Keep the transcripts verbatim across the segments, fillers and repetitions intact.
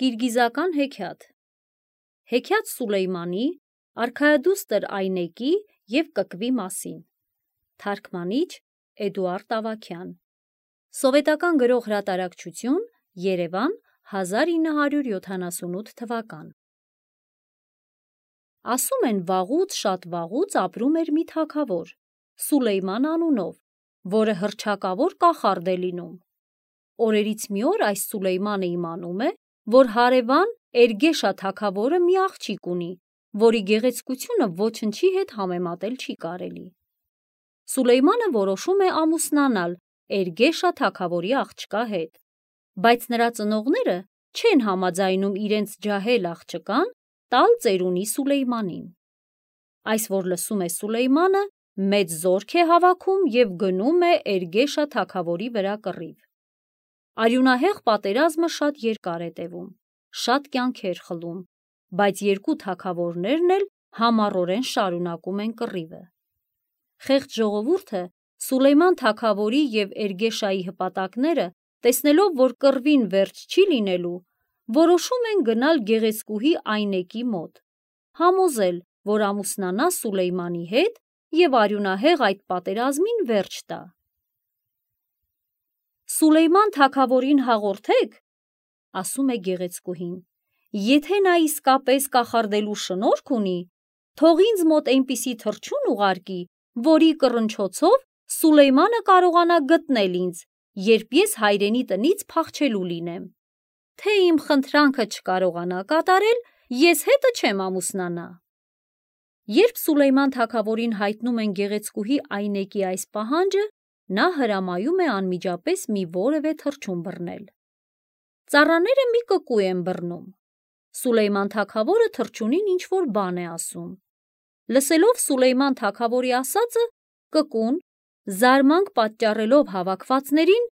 Կիրգիզական հեքիաթ Հեքիաթ Սուլեյմանի, արքայադուստր Այնեկի և կկվի մասին Թարգմանիչ Էդուարդ Ավագյան Սովետական գրող հրատարակչություն Երևան հազար ինը հարյուր յոթանասունութ թվական Ասում են վաղուց շատ վաղուց ապրում էր մի թագավոր Սուլեյման անունով, որը հռչակավոր կախարդ է լինում։ Օրերից մի օր այս Սուլեյմանը իմանում է, որ հարևան Էրգեշա թագավորը մի աղջիկ ունի, որի գեղեցկությունը ոչնչի հետ համեմատել չի կարելի։ Սուլեյմանը որոշում է ամուսնանալ Էրգեշա թագավորի աղջկա հետ, բայց նրա ծնողները չեն համաձայնում իրենց ջահել աղջկան տալ ծերունի Սուլեյմանին։ Այս որ լսում է Սուլեյմանը, մեծ զորք է հավաքում և գնում է Էրգեշա թագավորի վրա կռիվ։ Արյունահեղ պատերազմը շատ երկար է տևում, շատ կյանքեր խլում, բայց երկու թագավորներն էլ համառորեն շարունակում են կռիվը։ Խեղճ ժողովուրդը Սուլեյման թագավորի և Էրգեշայի հպատակները, տեսնելով, որ կռվին վերջ չի լինելու, որոշում են գնալ գեղեցկուհի Այնեկի մոտ, համոզել, որ ամուսնանա Սուլեյմանի հետ և արյունահեղ այդ պատերազմին վերջ տա։ Սուլեյման թագավորին հաղորդեք, ասում է գեղեցկուհին, եթե նա իսկապես կախարդելու շնորք ունի, թող ինձ մոտ այնպիսի թռչուն ուղարկի, որի կռնչոցով Սուլեյմանը կարողանա գտնել ինձ, երբ ես հայրենի տնից փախչելու լինեմ։ Թե իմ խնդրանքը չկարողանա կատարել, ես հետը չեմ ամուսնանա։ Երբ Սուլեյման թագավորին հայտնում են գեղեցկուհի Այնեկի այս պահանջը, նա հրամայում է անմիջապես մի որևէ թռչուն բռնել։ Ծառաները մի կկու են բռնում։ Սուլեյման թագավորը թռչունին ինչ-որ բան է ասում։ Լսելով Սուլեյման թագավորի ասածը, կկուն, զարմանք պատճառելով հավաքվածներին,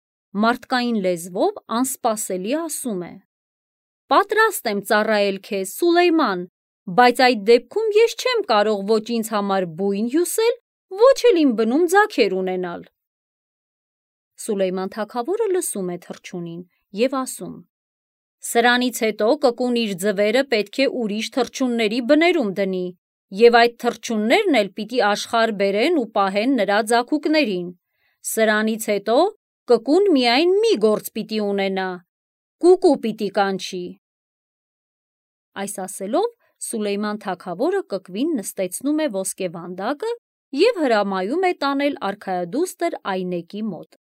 մարդկային լեզվով անսպասելի ասում է. «Պատրաստ եմ ծառայել քեզ, Սուլեյման, բայց այդ դեպքում ես չեմ կարող ոչ ինձ համար բույն հյուսել, ոչ էլ իմ բնում ձագեր ունենալ»։ Սուլեյման թագավորը լսում է թռչունին և ասում. «Սրանից հետո կկուն իր ձվերը պետք է ուրիշ թռչունների բներում դնի, և այդ թռչուններն էլ պիտի աշխարհ բերեն ու պահեն նրա ձագուկներին։ Սրանից հետո կկուն միայն մի գործ պիտի ունենա, կուկու պիտի կանչի»։ Այս ասելով Սուլեյման թագավորը կկվին նստեցնում է ոսկե վանդակը և հրամայում է տանել արքայադուստր Այնեկի մոտ։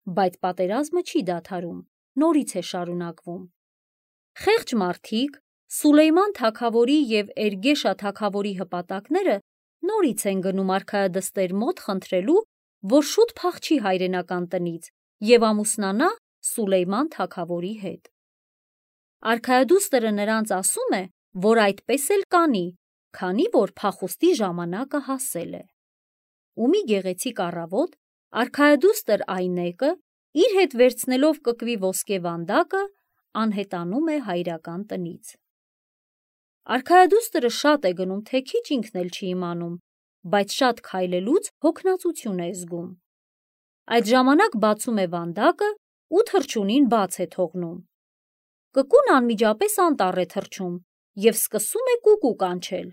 Բայց պատերազմը չի դադարում, նորից է շարունակվում։ Խեղճ մարդիկ, Սուլեյման թագավորի և Էրգեշա թագավորի հպատակները նորից են գնում արքայադստեր մոտ խնդրելու, որ շուտ փախչի հայրենական տնից և ամուսնանա Սուլեյման թագավորի հետ։ Արքայադուստրը նրանց ասում է, որ այդպես էլ կանի, քանի որ փախուստի ժամանակը հասել է։ Ու մի գեղեցիկ առավոտ արքայադուստր Այնեկը, իր հետ վերցնելով կկվի ոսկե վանդակը, անհետանում է հայրական տնից։ Արքայադուստրը շատ է գնում, թե քիչ ինքն էլ չի իմանում, բայց շատ քայլելուց հոգնածություն է զգում։ Այդ ժամանակ բացում է վանդակը ու թռչունին բաց է թողնում։ Կկուն անմիջապես անտառ է թռչում և սկսում է կուկու կանչել։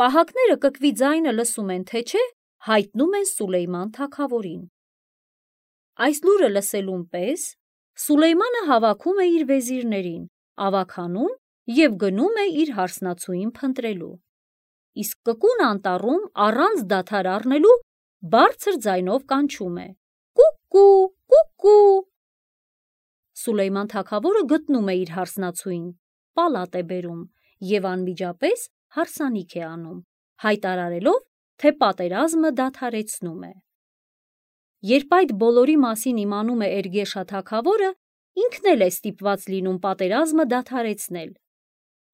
Պահակները կկվի ձայնը լսում են, թե չէ, հայտնում են Սուլեյման թագավորին։ Այս լուրը լսելուն պես Սուլեյմանը հավաքում է իր վեզիրներին, ավագանուն և գնում է իր հարսնացուին փնտրելու։ Իսկ կկուն անտառում առանց դադար առնելու բարձր ձայնով կանչում է. «Կուկու, կուկու»։ Սուլեյման թագավորը գտնում է իր հարսնացուին, պալատ է բերում և անմիջապես հարսանիք է անում, հայտարարելով, թե պատերազմը դադարեցնում է։ Երբ այդ բոլորի մասին իմանում է Էրգեշա թագավորը, ինքն էլ է ստիպված լինում պատերազմը դադարեցնել,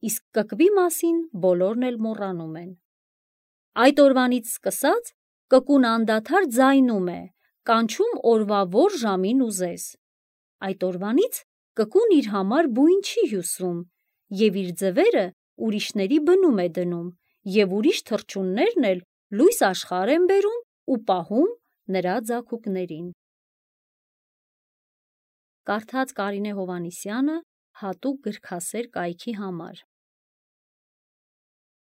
իսկ կկվի մասին բոլորն էլ մոռանում են։ Այդ օրվանից սկսած կկուն անդադար ձայնում է, կանչում օրվա որ ժամին ուզես։ Այդ օրվանից կկուն իր համար բույն չի հյուսում և իր ձվերը ուրիշների բնում է դնում և ուրիշ թռչուններն էլ լույս աշխարհ են բերում ու պահում նրա ձագուկներին։ Կարդաց Կարինե Հովհաննիսյանը, հատուկ գրքասեր կայքի համար։